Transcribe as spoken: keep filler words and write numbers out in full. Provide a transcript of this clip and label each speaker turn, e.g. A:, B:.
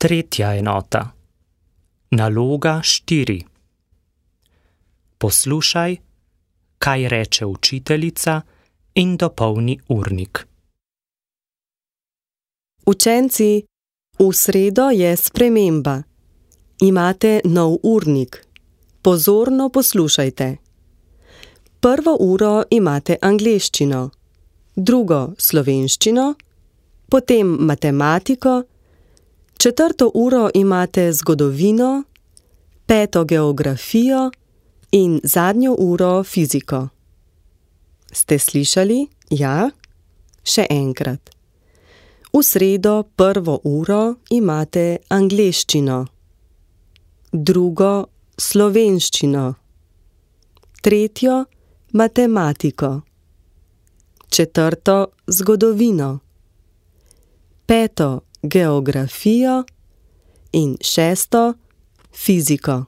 A: Tretja enota. Naloga štiri. Poslušaj, kaj reče učiteljica, in dopolni urnik.
B: Učenci, v sredo je sprememba. Imate nov urnik. Pozorno poslušajte. Prvo uro imate angleščino, drugo slovenščino, potem matematiko, četrto uro imate zgodovino, peto geografijo in zadnjo uro fiziko. Ste slišali? Ja? Še enkrat. V sredo prvo uro imate angleščino, drugo slovenščino, tretjo matematiko, četrto zgodovino, peto geografijo in šesto fiziko.